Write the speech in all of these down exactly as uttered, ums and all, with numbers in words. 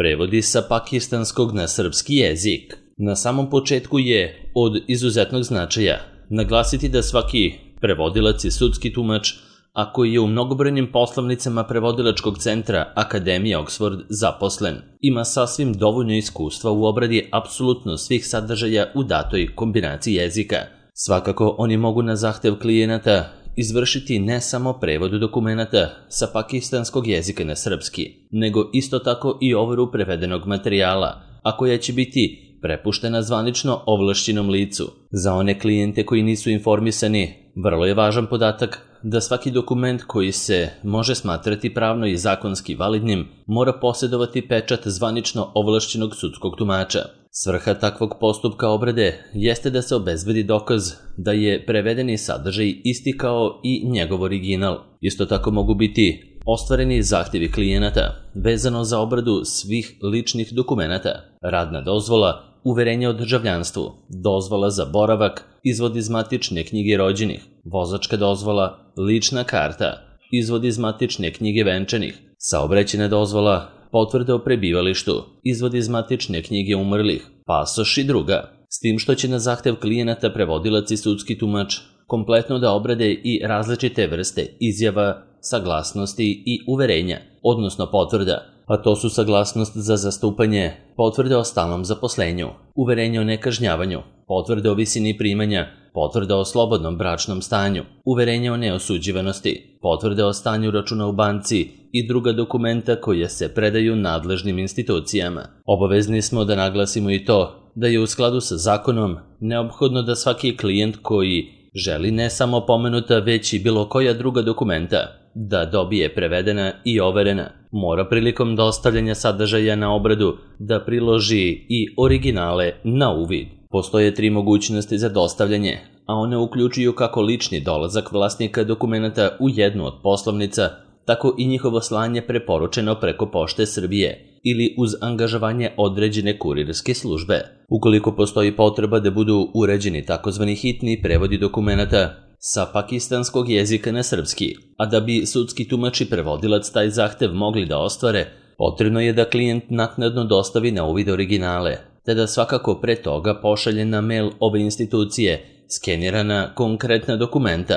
Prevodi sa pakistanskog na srpski jezik. Na samom početku je od izuzetnog značaja naglasiti da svaki prevodilac i sudski tumač, a koji je u mnogobrojnim poslovnicama prevodilačkog centra Akademije Oxford zaposlen, ima sasvim dovoljno iskustva u obradi apsolutno svih sadržaja u datoj kombinaciji jezika. Svakako, oni mogu na zahtev klijenata izvršiti ne samo prevod dokumenata sa pakistanskog jezika na srpski, nego isto tako i overu prevedenog materijala, a koja će biti prepuštena zvanično ovlašćenom licu. Za one klijente koji nisu informisani, vrlo je važan podatak da svaki dokument koji se može smatrati pravno i zakonski validnim mora posjedovati pečat zvanično ovlašćenog sudskog tumača. Svrha takvog postupka obrade jeste da se obezbedi dokaz da je prevedeni sadržaj isti kao i njegov original. Isto tako mogu biti ostvareni zahtjevi klijenata vezano za obradu svih ličnih dokumenata, radna dozvola, uverenje o državljanstvu, dozvola za boravak, izvod iz matične knjige rođenih, vozačka dozvola, lična karta, izvod iz matične knjige venčanih, saobraćajna dozvola, potvrde o prebivalištu, izvod iz matične knjige umrlih, pasoš i druga. S tim što će na zahtev klijenata prevodilac i sudski tumač kompletno da obrade i različite vrste izjava, saglasnosti i uverenja, odnosno potvrda, a to su saglasnost za zastupanje, potvrde o stalnom zaposlenju, uverenje o nekažnjavanju, potvrde o visini primanja, potvrde o slobodnom bračnom stanju, uverenje o neosuđivanosti, potvrde o stanju računa u banci i druga dokumenta koja se predaju nadležnim institucijama. Obavezni smo da naglasimo i to da je u skladu sa zakonom neophodno da svaki klijent koji želi ne samo pomenuta već i bilo koja druga dokumenta da dobije prevedena i overena, mora prilikom dostavljanja sadržaja na obradu da priloži i originale na uvid. Postoje tri mogućnosti za dostavljanje, a one uključuju kako lični dolazak vlasnika dokumenata u jednu od poslovnica, tako i njihovo slanje preporučeno preko Pošte Srbije ili uz angažovanje određene kurirske službe. Ukoliko postoji potreba da budu uređeni takozvani hitni prevodi dokumenata sa pakistanskog jezika na srpski, a da bi sudski tumač i prevodilac taj zahtev mogli da ostvare, potrebno je da klijent naknadno dostavi na uvid originale, te da svakako pre toga pošalje na mail ove institucije skenirana konkretna dokumenta.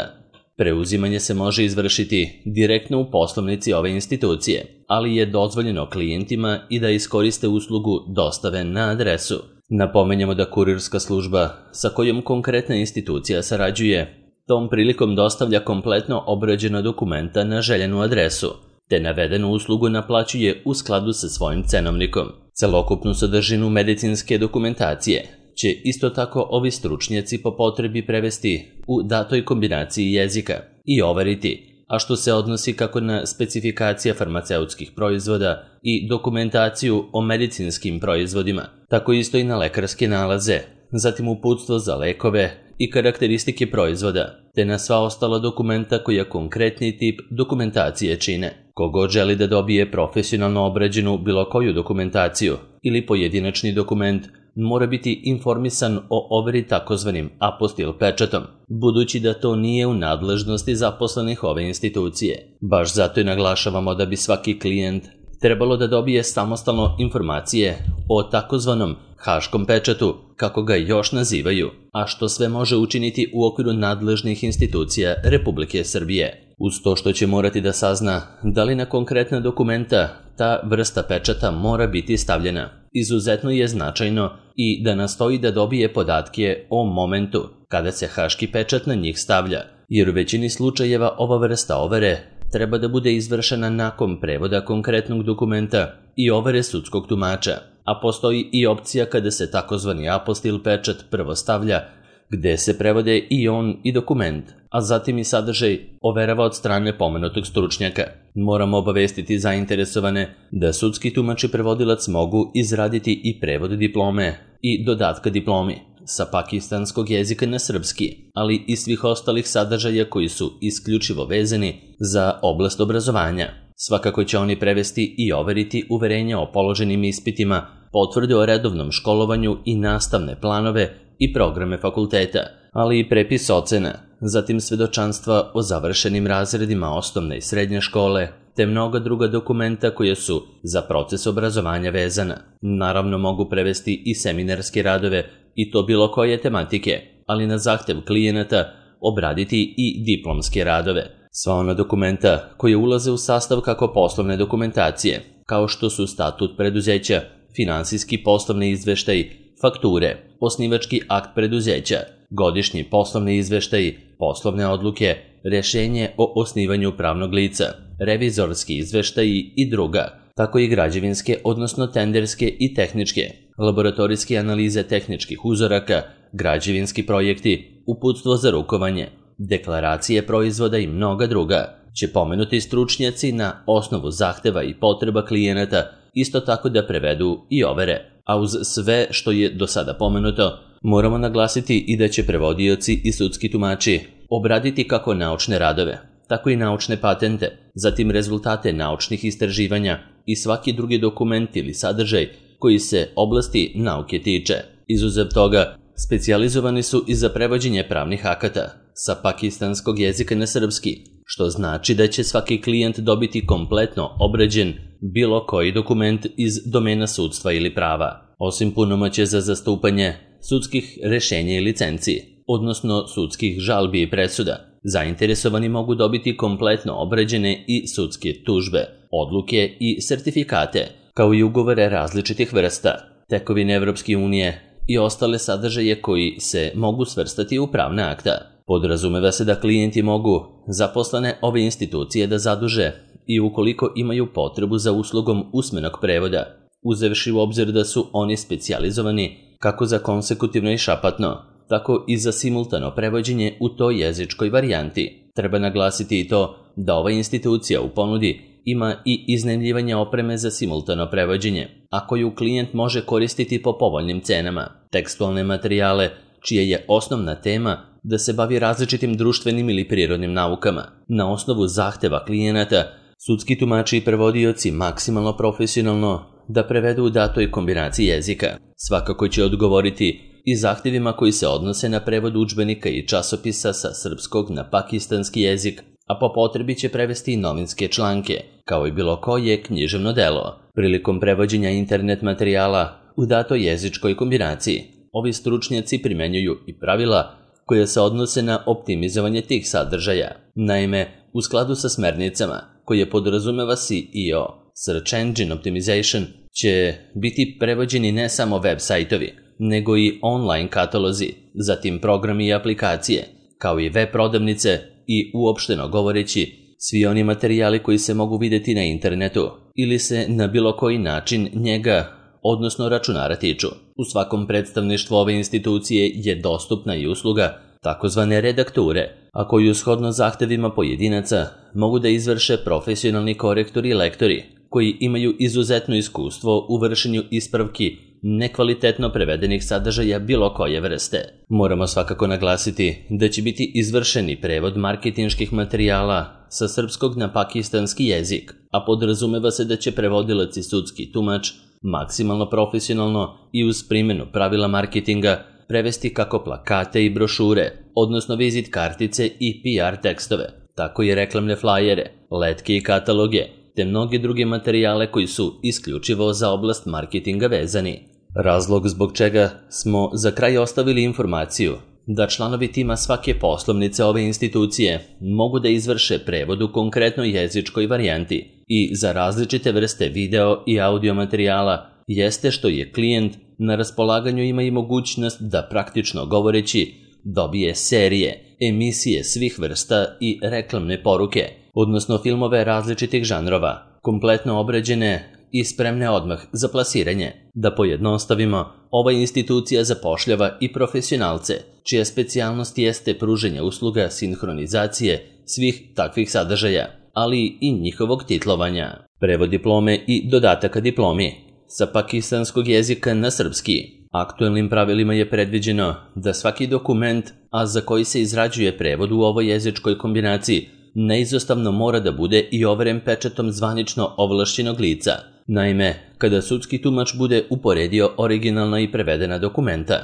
Preuzimanje se može izvršiti direktno u poslovnici ove institucije, ali je dozvoljeno klijentima i da iskoriste uslugu dostave na adresu. Napomenjamo da kurirska služba sa kojom konkretna institucija sarađuje tom prilikom dostavlja kompletno obrađena dokumenta na željenu adresu, te navedenu uslugu naplaćuje u skladu sa svojim cenovnikom. Celokupnu sadržinu medicinske dokumentacije će isto tako ovi stručnjaci po potrebi prevesti u datoj kombinaciji jezika i overiti, a što se odnosi kako na specifikacija farmaceutskih proizvoda i dokumentaciju o medicinskim proizvodima, tako isto i na lekarske nalaze, zatim uputstvo za lekove i karakteristike proizvoda, te na sva ostala dokumenta koja konkretni tip dokumentacije čine. Kogod želi da dobije profesionalno obrađenu bilo koju dokumentaciju ili pojedinačni dokument, mora biti informisan o overi takozvanim apostil pečatom, budući da to nije u nadležnosti zaposlenih ove institucije. Baš zato i naglašavamo da bi svaki klijent trebalo da dobije samostalno informacije o takozvanom haškom pečatu, kako ga još nazivaju, a što sve može učiniti u okviru nadležnih institucija Republike Srbije. Uz to što će morati da sazna da li na konkretna dokumenta ta vrsta pečata mora biti stavljena. Izuzetno je značajno i da nastoji da dobije podatke o momentu kada se haški pečat na njih stavlja, jer u većini slučajeva ova vrsta overe treba da bude izvršena nakon prevoda konkretnog dokumenta i overe sudskog tumača, a postoji i opcija kada se takozvani apostil pečat prvo stavlja, gde se prevode i on i dokument, a zatim i sadržaj overava od strane pomenutog stručnjaka. Moramo obavestiti zainteresovane da sudski tumač i prevodilac mogu izraditi i prevod diplome i dodatka diplomi sa pakistanskog jezika na srpski, ali i svih ostalih sadržaja koji su isključivo vezani za oblast obrazovanja. Svakako će oni prevesti i overiti uverenja o položenim ispitima, potvrde o redovnom školovanju i nastavne planove i programe fakulteta, ali i prepis ocena, zatim svedočanstva o završenim razredima osnovne i srednje škole, te mnoga druga dokumenta koja su za proces obrazovanja vezana. Naravno mogu prevesti i seminarske radove i to bilo koje tematike, ali na zahtev klijenata obraditi i diplomske radove. Sva ona dokumenta koje ulaze u sastav kako poslovne dokumentacije, kao što su statut preduzeća, finansijski poslovni izveštaj, fakture, osnivački akt preduzeća, godišnji poslovni izveštaj, poslovne odluke, rešenje o osnivanju pravnog lica, revizorski izveštaji i druga, tako i građevinske, odnosno tenderske i tehničke, laboratorijske analize tehničkih uzoraka, građevinski projekti, uputstvo za rukovanje, deklaracije proizvoda i mnoga druga, će pomenuti stručnjaci na osnovu zahteva i potreba klijenata isto tako da prevedu i overe. A uz sve što je do sada pomenuto, moramo naglasiti i da će prevodioci i sudski tumači obraditi kako naučne radove, tako i naučne patente, zatim rezultate naučnih istraživanja i svaki drugi dokument ili sadržaj koji se oblasti nauke tiče. Izuzev toga, specijalizovani su i za prevođenje pravnih akata sa pakistanskog jezika na srpski, što znači da će svaki klijent dobiti kompletno obrađen bilo koji dokument iz domena sudstva ili prava. Osim punomoćja za zastupanje, sudskih rešenja i licenci, odnosno sudskih žalbi i presuda, zainteresovani mogu dobiti kompletno obrađene i sudske tužbe, odluke i sertifikate, kao i ugovore različitih vrsta, tekovine Evropske unije i ostale sadržaje koji se mogu svrstati u pravna akta. Podrazumeva se da klijenti mogu zaposlene ove institucije da zaduže i ukoliko imaju potrebu za uslugom usmenog prevoda, uzevši u obzir da su oni specijalizovani kako za konsekutivno i šapatno, tako i za simultano prevođenje u toj jezičkoj varijanti. Treba naglasiti i to da ova institucija u ponudi ima i iznajmljivanje opreme za simultano prevođenje, a koju klijent može koristiti po povoljnim cenama, tekstualne materijale, čija je osnovna tema da se bavi različitim društvenim ili prirodnim naukama. Na osnovu zahteva klijenata, sudski tumači i prevodioci maksimalno profesionalno da prevedu u datoj kombinaciji jezika. Svakako će odgovoriti i zahtevima koji se odnose na prevod udžbenika i časopisa sa srpskog na pakistanski jezik, a po potrebi će prevesti i novinske članke, kao i bilo koje književno delo. Prilikom prevođenja internet materijala u datoj jezičkoj kombinaciji, ovi stručnjaci primenjuju i pravila koje se odnose na optimizovanje tih sadržaja. Naime, u skladu sa smernicama koje podrazumeva S E O, Search Engine Optimization, će biti prevođeni ne samo web sajtovi, nego i online katalozi, zatim programi i aplikacije, kao i web prodavnice i uopšteno govoreći svi oni materijali koji se mogu vidjeti na internetu ili se na bilo koji način njega, odnosno računara tiču. U svakom predstavništvu ove institucije je dostupna i usluga takozvane redakture, a koju shodno zahtevima pojedinaca mogu da izvrše profesionalni korektori i lektori, koji imaju izuzetno iskustvo u vršenju ispravki nekvalitetno prevedenih sadržaja bilo koje vrste. Moramo svakako naglasiti da će biti izvršeni prevod marketinških materijala sa srpskog na pakistanski jezik, a podrazumeva se da će prevodilac i sudski tumač maksimalno profesionalno i uz primjenu pravila marketinga prevesti kako plakate i brošure, odnosno vizit kartice i P R tekstove, tako i reklamne flajere, letke i kataloge, te mnoge druge materijale koji su isključivo za oblast marketinga vezani. Razlog zbog čega smo za kraj ostavili informaciju da članovi tima svake poslovnice ove institucije mogu da izvrše prevod u konkretnoj jezičkoj varijanti i za različite vrste video i audio materijala jeste što je klijent na raspolaganju ima i mogućnost da praktično govoreći dobije serije, emisije svih vrsta i reklamne poruke, odnosno filmove različitih žanrova, kompletno obrađene i spremne odmah za plasiranje. Da pojednostavimo, ova institucija zapošljava i profesionalce, čija specijalnost jeste pruženje usluga sinhronizacije svih takvih sadržaja, ali i njihovog titlovanja. Prevod diplome i dodataka diplomi sa pakistanskog jezika na srpski. Aktuelnim pravilima je predviđeno da svaki dokument, a za koji se izrađuje prevod u ovoj jezičkoj kombinaciji, neizostavno mora da bude i overen pečatom zvanično ovlašćenog lica. Naime, kada sudski tumač bude uporedio originalna i prevedena dokumenta,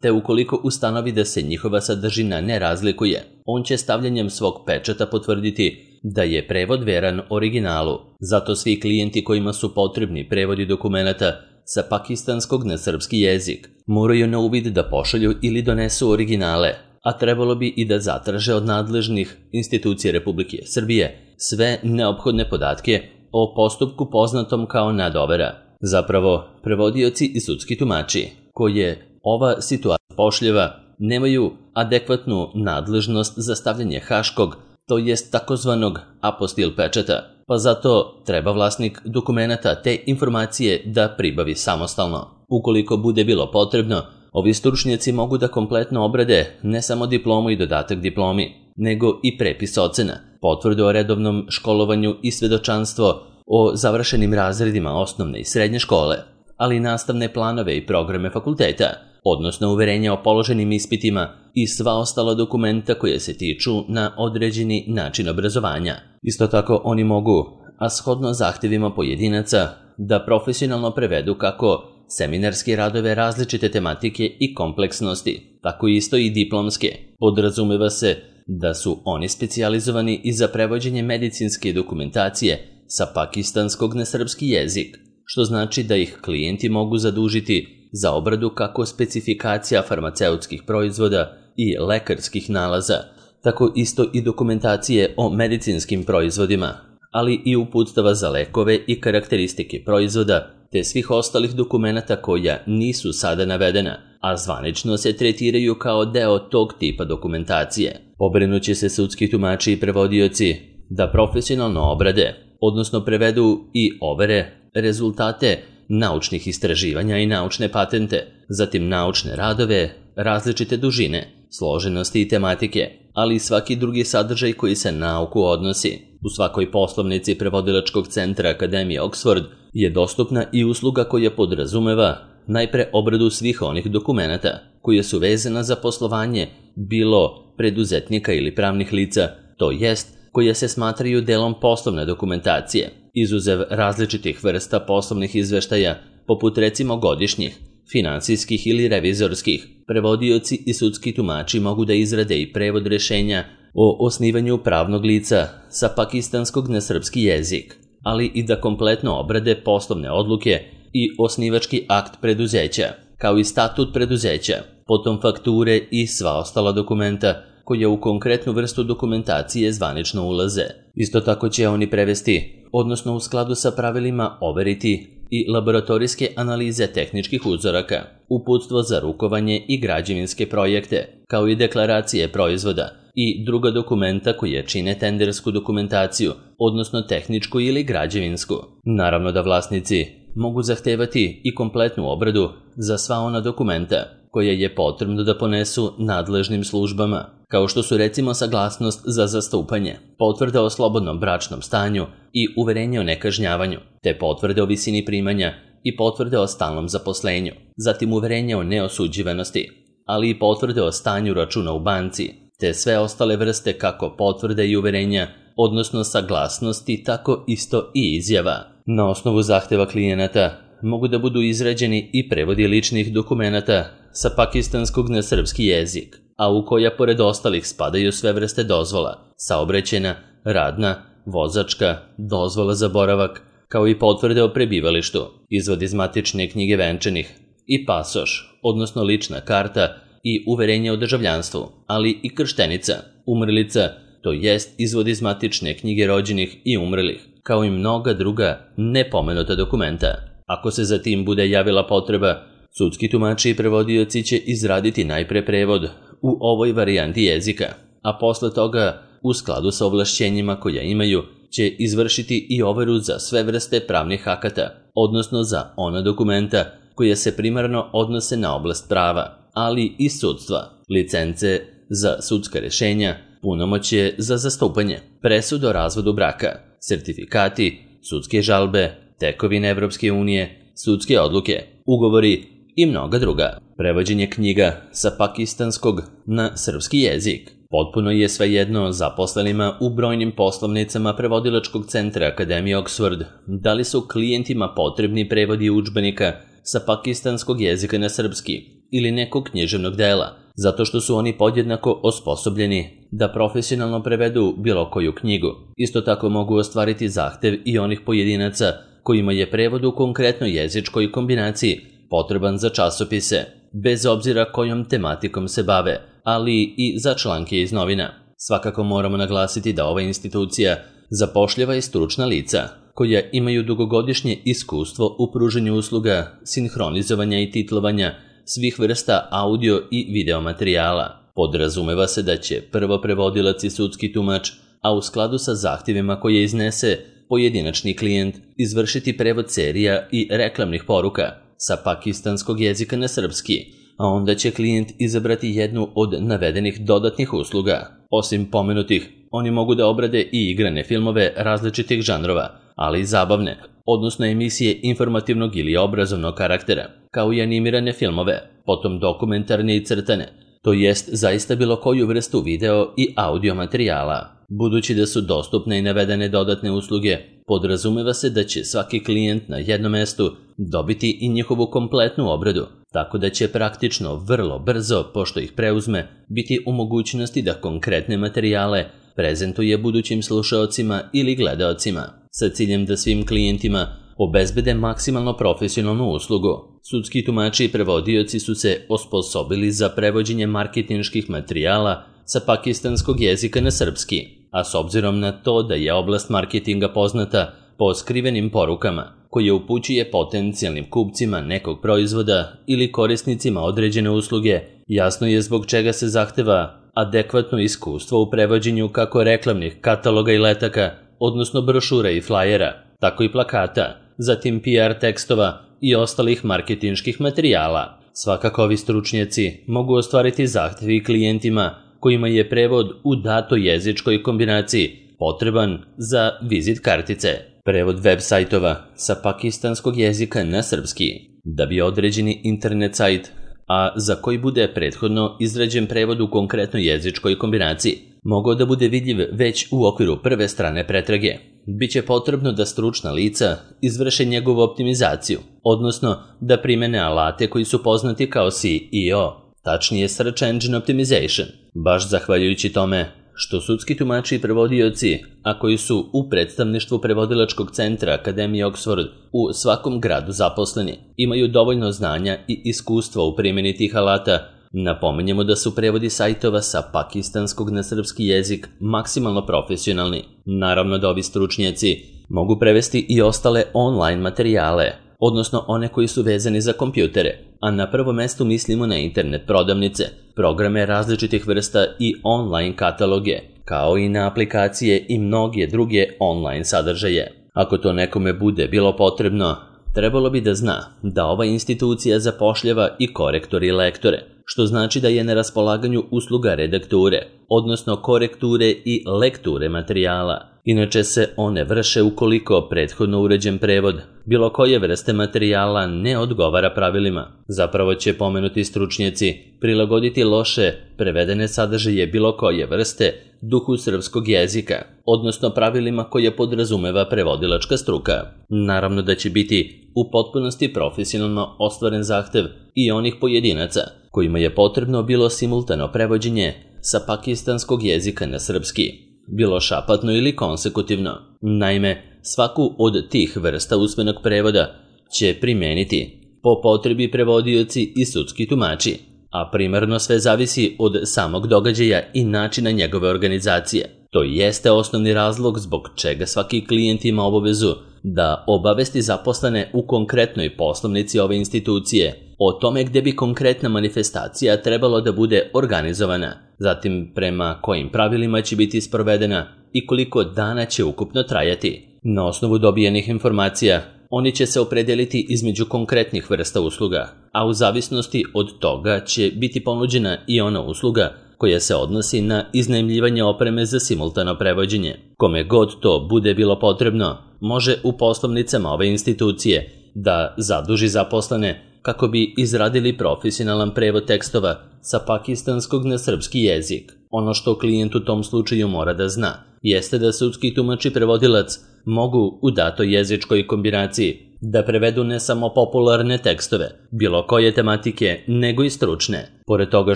te ukoliko ustanovi da se njihova sadržina ne razlikuje, on će stavljanjem svog pečata potvrditi da je prevod veran originalu. Zato svi klijenti kojima su potrebni prevodi dokumenata sa pakistanskog na srpski jezik moraju na uvid da pošalju ili donesu originale, a trebalo bi i da zatraže od nadležnih institucija Republike Srbije sve neophodne podatke o postupku poznatom kao nadovera. Zapravo, prevodioci i sudski tumači koje ova situacija pošljeva nemaju adekvatnu nadležnost za stavljanje haškog, to jest takozvanog apostil pečata, pa zato treba vlasnik dokumenata te informacije da pribavi samostalno. Ukoliko bude bilo potrebno, ovi stručnjaci mogu da kompletno obrade ne samo diplomu i dodatak diplomi, nego i prepis ocena, potvrdu o redovnom školovanju i svedočanstvo o završenim razredima osnovne i srednje škole, ali i nastavne planove i programe fakulteta, odnosno uverenja o položenim ispitima i sva ostala dokumenta koje se tiču na određeni način obrazovanja. Isto tako oni mogu, a shodno zahtevima pojedinaca, da profesionalno prevedu kako seminarske radove različite tematike i kompleksnosti, tako isto i diplomske. Podrazumeva se da su oni specijalizovani i za prevođenje medicinske dokumentacije sa pakistanskog na srpski jezik, što znači da ih klijenti mogu zadužiti za obradu kako specifikacija farmaceutskih proizvoda i lekarskih nalaza, tako isto i dokumentacije o medicinskim proizvodima, ali i uputstava za lekove i karakteristike proizvoda, te svih ostalih dokumenata koja nisu sada navedena, a zvanično se tretiraju kao deo tog tipa dokumentacije. Pobrinuće se sudski tumači i prevodioci da profesionalno obrade, odnosno prevedu i overe rezultate naučnih istraživanja i naučne patente, zatim naučne radove, različite dužine, složenosti i tematike, ali i svaki drugi sadržaj koji se na nauku odnosi. U svakoj poslovnici prevodilačkog centra Akademije Oxford je dostupna i usluga koja podrazumeva najpre obradu svih onih dokumenata koje su vezana za poslovanje bilo preduzetnika ili pravnih lica, to jest koje se smatraju delom poslovne dokumentacije, izuzev različitih vrsta poslovnih izveštaja, poput recimo godišnjih, finansijskih ili revizorskih. Prevodioci i sudski tumači mogu da izrade i prevod rešenja o osnivanju pravnog lica sa pakistanskog na srpski jezik, ali i da kompletno obrade poslovne odluke i osnivački akt preduzeća, kao i statut preduzeća, potom fakture i sva ostala dokumenta koja u konkretnu vrstu dokumentacije zvanično ulaze. Isto tako će oni prevesti, odnosno u skladu sa pravilima overiti i laboratorijske analize tehničkih uzoraka, uputstvo za rukovanje i građevinske projekte, kao i deklaracije proizvoda i druga dokumenta koje čine tendersku dokumentaciju, odnosno tehničku ili građevinsku. Naravno da vlasnici mogu zahtevati i kompletnu obradu za sva ona dokumenta koje je potrebno da ponesu nadležnim službama, kao što su recimo saglasnost za zastupanje, potvrda o slobodnom bračnom stanju i uverenje o nekažnjavanju, te potvrde o visini primanja i potvrde o stalnom zaposlenju, zatim uverenje o neosuđivanosti, ali i potvrde o stanju računa u banci, te sve ostale vrste kako potvrde i uverenja, odnosno saglasnosti, tako isto i izjava. Na osnovu zahteva klijenata mogu da budu izrađeni i prevodi ličnih dokumenata sa pakistanskog na srpski jezik, a u koja pored ostalih spadaju sve vrste dozvola, saobraćajna, radna, vozačka, dozvola za boravak, kao i potvrde o prebivalištu, izvod iz matične knjige venčanih i pasoš, odnosno lična karta i uverenje o državljanstvu, ali i krštenica, umrlica, to jest izvod iz matične knjige rođenih i umrlih, kao i mnoga druga nepomenuta dokumenta. Ako se za tim bude javila potreba, sudski tumači i prevodioci će izraditi najpre prevod u ovoj varijanti jezika, a posle toga, u skladu sa ovlašćenjima koja imaju, će izvršiti i overu za sve vrste pravnih akata, odnosno za ona dokumenta koja se primarno odnose na oblast prava, ali i sudstva, licence za sudska rešenja, punomoćje za zastupanje, presud o razvodu braka, sertifikati, sudske žalbe, tekovine Evropske unije, sudske odluke, ugovori i mnoga druga. Prevođenje knjiga sa pakistanskog na srpski jezik. Potpuno je svejedno zaposlenima u brojnim poslovnicama prevodilačkog centra Akademije Oxford da li su klijentima potrebni prevodi udžbenika sa pakistanskog jezika na srpski ili nekog književnog dela, zato što su oni podjednako osposobljeni da profesionalno prevedu bilo koju knjigu. Isto tako mogu ostvariti zahtev i onih pojedinaca kojima je prevod u konkretnoj jezičkoj kombinaciji potreban za časopise, bez obzira kojom tematikom se bave, ali i za članke iz novina. Svakako moramo naglasiti da ova institucija zapošljava i stručna lica, koja imaju dugogodišnje iskustvo u pružanju usluga sinhronizovanja i titlovanja svih vrsta audio i video materijala. Podrazumeva se da će prvo prevodilac i sudski tumač, a u skladu sa zahtjevima koje iznese pojedinačni klijent, izvršiti prevod serija i reklamnih poruka sa pakistanskog jezika na srpski, a onda će klijent izabrati jednu od navedenih dodatnih usluga. Osim pomenutih, oni mogu da obrade i igrane filmove različitih žanrova, ali i zabavne, odnosno emisije informativnog ili obrazovnog karaktera, kao i animirane filmove, potom dokumentarne i crtane, to jest zaista bilo koju vrstu video i audio materijala. Budući da su dostupne i navedene dodatne usluge, podrazumeva se da će svaki klijent na jednom mestu dobiti i njihovu kompletnu obradu, tako da će praktično vrlo brzo, pošto ih preuzme, biti u mogućnosti da konkretne materijale prezentuje budućim slušaocima ili gledaocima, sa ciljem da svim klijentima obezbede maksimalno profesionalnu uslugu. Sudski tumači i prevodioci su se osposobili za prevođenje marketinških materijala sa pakistanskog jezika na srpski, a s obzirom na to da je oblast marketinga poznata po skrivenim porukama, koje upućuje potencijalnim kupcima nekog proizvoda ili korisnicima određene usluge, jasno je zbog čega se zahteva adekvatno iskustvo u prevođenju kako reklamnih kataloga i letaka, odnosno brošura i flajera, tako i plakata, zatim P R tekstova i ostalih marketinških materijala. Svakako ovi stručnjaci mogu ostvariti zahtjevi klijentima kojima je prevod u datoj jezičkoj kombinaciji potreban za vizit kartice, prevod web sajtova sa pakistanskog jezika na srpski, da bi određeni internet sajt, a za koji bude prethodno izrađen prevod u konkretnoj jezičkoj kombinaciji, mogao da bude vidljiv već u okviru prve strane pretrage. Biće potrebno da stručna lica izvrše njegovu optimizaciju, odnosno da primene alate koji su poznati kao S E O, tačnije Search Engine Optimization. Baš zahvaljujući tome što sudski tumači i prevodioci, a koji su u predstavništvu prevodilačkog centra Akademije Oxford u svakom gradu zaposleni, imaju dovoljno znanja i iskustva u primjeni tih alata, napominjemo da su prevodi sajtova sa pakistanskog na srpski jezik maksimalno profesionalni. Naravno da ovi stručnjaci mogu prevesti i ostale online materijale, odnosno one koji su vezani za kompjutere, a na prvom mestu mislimo na internet prodavnice, programe različitih vrsta i online kataloge, kao i na aplikacije i mnoge druge online sadržaje. Ako to nekome bude bilo potrebno, trebalo bi da zna da ova institucija zapošljava i korektore i lektore, što znači da je na raspolaganju usluga redakture, odnosno korekture i lekture materijala. Inače se one vrše ukoliko prethodno uređen prevod bilo koje vrste materijala ne odgovara pravilima. Zapravo će pomenuti stručnjaci prilagoditi loše prevedene sadržaje bilo koje vrste duhu srpskog jezika, odnosno pravilima koje podrazumeva prevodilačka struka. Naravno da će biti u potpunosti profesionalno ostvaren zahtev i onih pojedinaca kojima je potrebno bilo simultano prevođenje sa pakistanskog jezika na srpski, bilo šapatno ili konsekutivno. Naime, svaku od tih vrsta usmenog prevoda će primeniti po potrebi prevodioci i sudski tumači, a primarno sve zavisi od samog događaja i načina njegove organizacije. To jeste osnovni razlog zbog čega svaki klijent ima obavezu da obavesti zaposlene u konkretnoj poslovnici ove institucije o tome gde bi konkretna manifestacija trebalo da bude organizovana, zatim prema kojim pravilima će biti sprovedena i koliko dana će ukupno trajati. Na osnovu dobijenih informacija, oni će se opredeliti između konkretnih vrsta usluga, a u zavisnosti od toga će biti ponuđena i ona usluga koja se odnosi na iznajmljivanje opreme za simultano prevođenje. Kome god to bude bilo potrebno, može u poslovnicama ove institucije da zaduži zaposlene kako bi izradili profesionalan prevod tekstova sa pakistanskog na srpski jezik. Ono što klijent u tom slučaju mora da zna jeste da sudski tumač i prevodilac mogu u datoj jezičkoj kombinaciji da prevedu ne samo popularne tekstove, bilo koje tematike, nego i stručne. Pored toga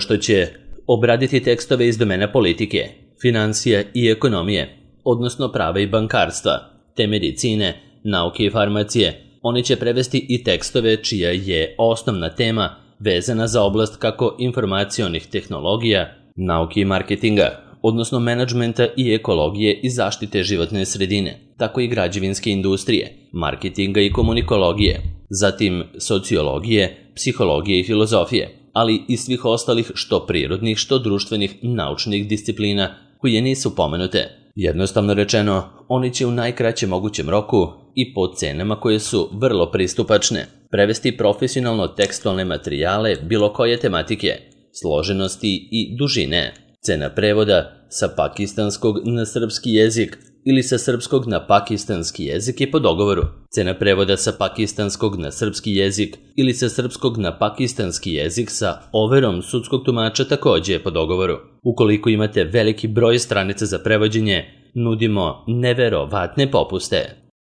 što će obraditi tekstove iz domena politike, financija i ekonomije, odnosno prava i bankarstva, te medicine, nauke i farmacije. Oni će prevesti i tekstove čija je osnovna tema vezana za oblast kako informacionih tehnologija, nauke i marketinga, odnosno menadžmenta i ekologije i zaštite životne sredine, tako i građevinske industrije, marketinga i komunikologije, zatim sociologije, psihologije i filozofije, ali i svih ostalih što prirodnih, što društvenih, naučnih disciplina koje nisu pomenute. Jednostavno rečeno, oni će u najkraćem mogućem roku i po cenama koje su vrlo pristupačne prevesti profesionalno tekstualne materijale bilo koje tematike, složenosti i dužine. Cena prevoda sa pakistanskog na srpski jezik ili sa srpskog na pakistanski jezik je po dogovoru. Cena prevoda sa pakistanskog na srpski jezik ili sa srpskog na pakistanski jezik sa overom sudskog tumača takođe je po dogovoru. Ukoliko imate veliki broj stranica za prevođenje, nudimo neverovatne popuste.